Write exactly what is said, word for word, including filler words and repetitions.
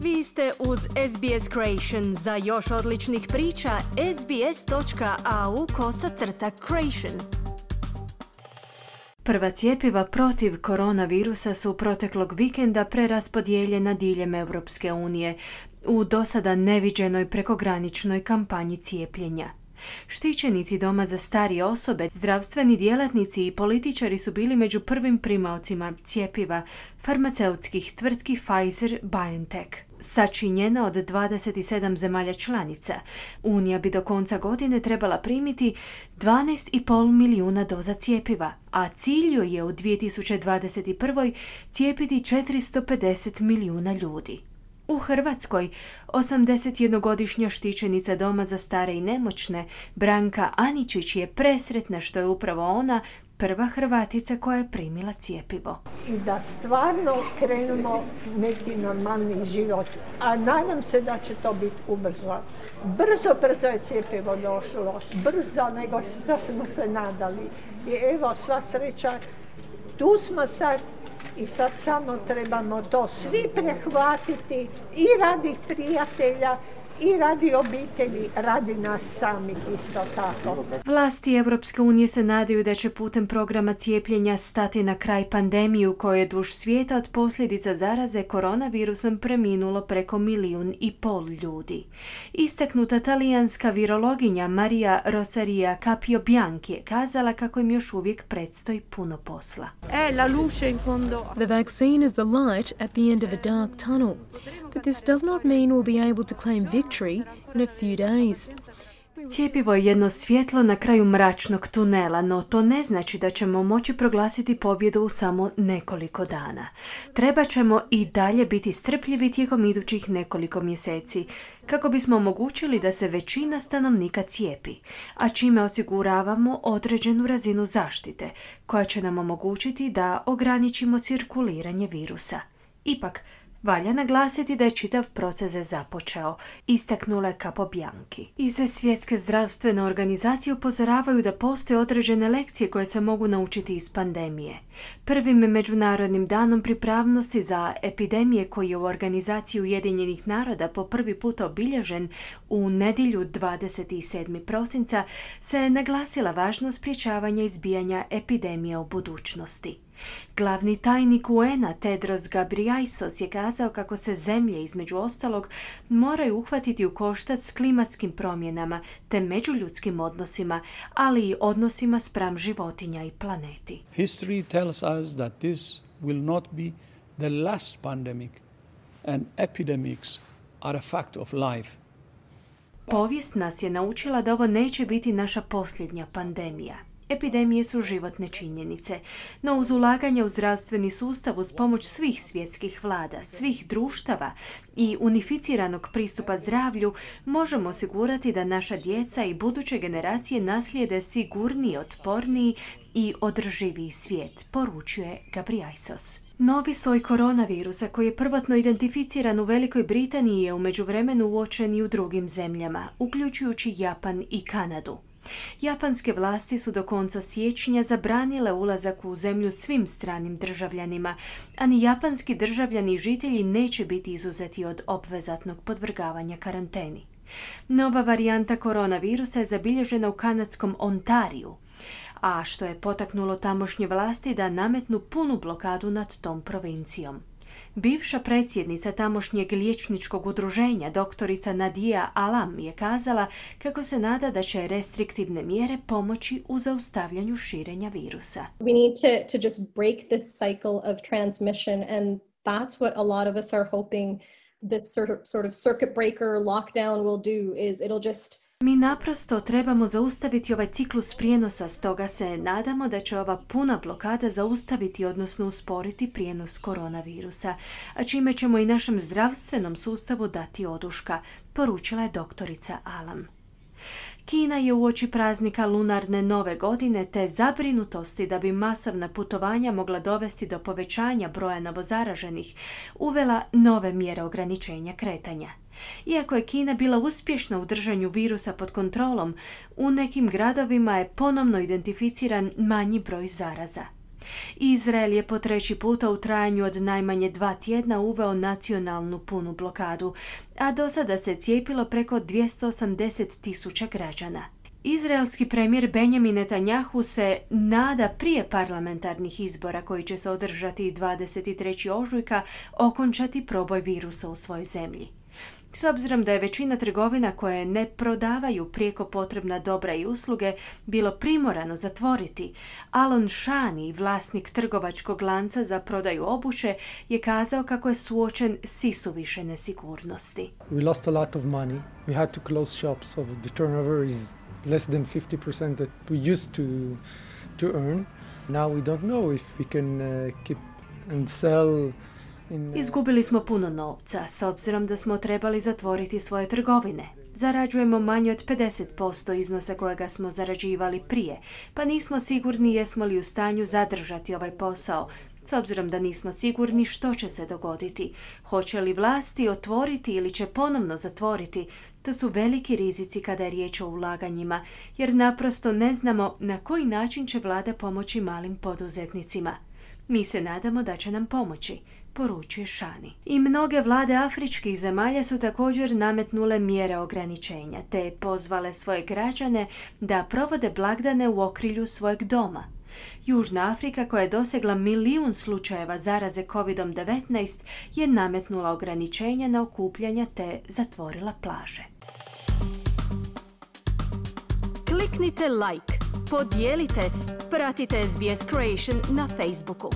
Vi ste uz S B S Creation. Za još odličnih priča, sbs.au kosacrta creation. Prva cjepiva protiv koronavirusa su proteklog vikenda preraspodijeljena diljem Europske unije u dosada neviđenoj prekograničnoj kampanji cijepljenja. Štićenici doma za starije osobe, zdravstveni djelatnici i političari su bili među prvim primaocima cjepiva farmaceutskih tvrtki Pfizer-BioNTech. Sačinjena od dvadeset sedam zemalja članica, Unija bi do konca godine trebala primiti dvanaest i pol milijuna doza cjepiva, a cilj joj je u dvije tisuće dvadeset prve. cijepiti četiristo pedeset milijuna ljudi. U Hrvatskoj, osamdesetjednogodišnja štićenica doma za stare i nemoćne, Branka Aničić, je presretna što je upravo ona prva Hrvatica koja je primila cjepivo. I da stvarno krenemo neki normalni život. A nadam se da će to biti ubrzo. Brzo, brzo je cjepivo došlo. Brzo nego što smo se nadali. I evo, sva sreća, tu smo sad. I sad samo trebamo to svi prehvatiti i radi prijatelja i radi obitelji, radi nas samih isto tako. Vlasti Europske unije se nadaju da će putem programa cijepljenja stati na kraj pandemiju koja je duž svijeta od posljedica zaraze koronavirusom preminulo preko milijun i pol ljudi. Istaknuta talijanska virologinja Maria Rosaria Capio Bianchi je kazala kako im još uvijek predstoji puno posla. The vaccine is the light at the end of a dark tunnel, but this does not mean we'll be able to claim victory in a few days. Cjepivo je jedno svjetlo na kraju mračnog tunela, no to ne znači da ćemo moći proglasiti pobjedu u samo nekoliko dana. Treba ćemo i dalje biti strpljivi tijekom idućih nekoliko mjeseci, kako bismo omogućili da se većina stanovnika cijepi, a čime osiguravamo određenu razinu zaštite, koja će nam omogućiti da ograničimo cirkuliranje virusa. Ipak, valja naglasiti da je čitav proces započeo, istaknula je Capo Bianchi. Iz Svjetske zdravstvene organizacije upozoravaju da postoje određene lekcije koje se mogu naučiti iz pandemije. Prvim međunarodnim danom pripravnosti za epidemije koji je u organizaciji Ujedinjenih naroda po prvi put obilježen u nedjelju dvadeset sedmog prosinca se naglasila važnost sprječavanja izbijanja epidemije u budućnosti. Glavni tajnik U N-a Tedros Ghebreyesus je kazao kako se zemlje, između ostalog, moraju uhvatiti u koštac s klimatskim promjenama te međuljudskim odnosima, ali i odnosima spram životinja i planeti. History tells us that this will not be the last pandemic and epidemics are a fact of life. Povijest nas je naučila da ovo neće biti naša posljednja pandemija. Epidemije su životne činjenice, no uz ulaganje u zdravstveni sustav uz pomoć svih svjetskih vlada, svih društava i unificiranog pristupa zdravlju možemo osigurati da naša djeca i buduće generacije naslijede sigurniji, otporniji i održiviji svijet, poručuje Ghebreyesus. Novi soj koronavirusa koji je prvotno identificiran u Velikoj Britaniji je u međuvremenu uočen i u drugim zemljama, uključujući Japan i Kanadu. Japanske vlasti su do konca siječnja zabranile ulazak u zemlju svim stranim državljanima, a ni japanski državljani i žitelji neće biti izuzeti od obvezatnog podvrgavanja karanteni. Nova varijanta koronavirusa je zabilježena u kanadskom Ontariju, a što je potaknulo tamošnje vlasti da nametnu punu blokadu nad tom provincijom. Bivša predsjednica tamošnjeg liječničkog udruženja, doktorica Nadia Alam, je kazala kako se nada da će restriktivne mjere pomoći u zaustavljanju širenja virusa. We need to, to just break this cycle of transmission, and that's what a lot of us are hoping this sort of, sort of circuit breaker lockdown will do, is it'll just Mi naprosto trebamo zaustaviti ovaj ciklus prijenosa, stoga se nadamo da će ova puna blokada zaustaviti, odnosno usporiti prijenos koronavirusa, a čime ćemo i našem zdravstvenom sustavu dati oduška, poručila je doktorica Alam. Kina je uoči praznika lunarne nove godine te zabrinutosti da bi masovna putovanja mogla dovesti do povećanja broja novozaraženih uvela nove mjere ograničenja kretanja. Iako je Kina bila uspješna u držanju virusa pod kontrolom, u nekim gradovima je ponovno identificiran manji broj zaraza. Izrael je po treći puta u trajanju od najmanje dva tjedna uveo nacionalnu punu blokadu, a do sada se cijepilo preko dvjesto osamdeset tisuća građana. Izraelski premijer Benjamin Netanjahu se nada prije parlamentarnih izbora koji će se održati dvadeset trećeg ožujka okončati proboj virusa u svojoj zemlji. S obzirom da je većina trgovina koje ne prodavaju prijeko potrebna dobra i usluge bilo primorano zatvoriti, Alon Shani, vlasnik trgovačkog lanca za prodaju obuće, je kazao kako je suočen s isuviše nesigurnosti. We lost a lot of money. We had to close shops, so the turnover is less than fifty percent that we used to to earn. Now we don't know if we can uh, keep and sell. Izgubili smo puno novca, s obzirom da smo trebali zatvoriti svoje trgovine. Zarađujemo manje od pedeset posto iznosa kojega smo zarađivali prije, pa nismo sigurni jesmo li u stanju zadržati ovaj posao, s obzirom da nismo sigurni što će se dogoditi. Hoće li vlasti otvoriti ili će ponovno zatvoriti? To su veliki rizici kada je riječ o ulaganjima, jer naprosto ne znamo na koji način će vlada pomoći malim poduzetnicima. Mi se nadamo da će nam pomoći, poručuje Shani. I mnoge vlade afričkih zemalja su također nametnule mjere ograničenja, te pozvale svoje građane da provode blagdane u okrilju svojeg doma. Južna Afrika, koja je dosegla milijun slučajeva zaraze kovid devetnaest, je nametnula ograničenja na okupljanja te zatvorila plaže. Kliknite like, podijelite, pratite S B S Creation na Facebooku.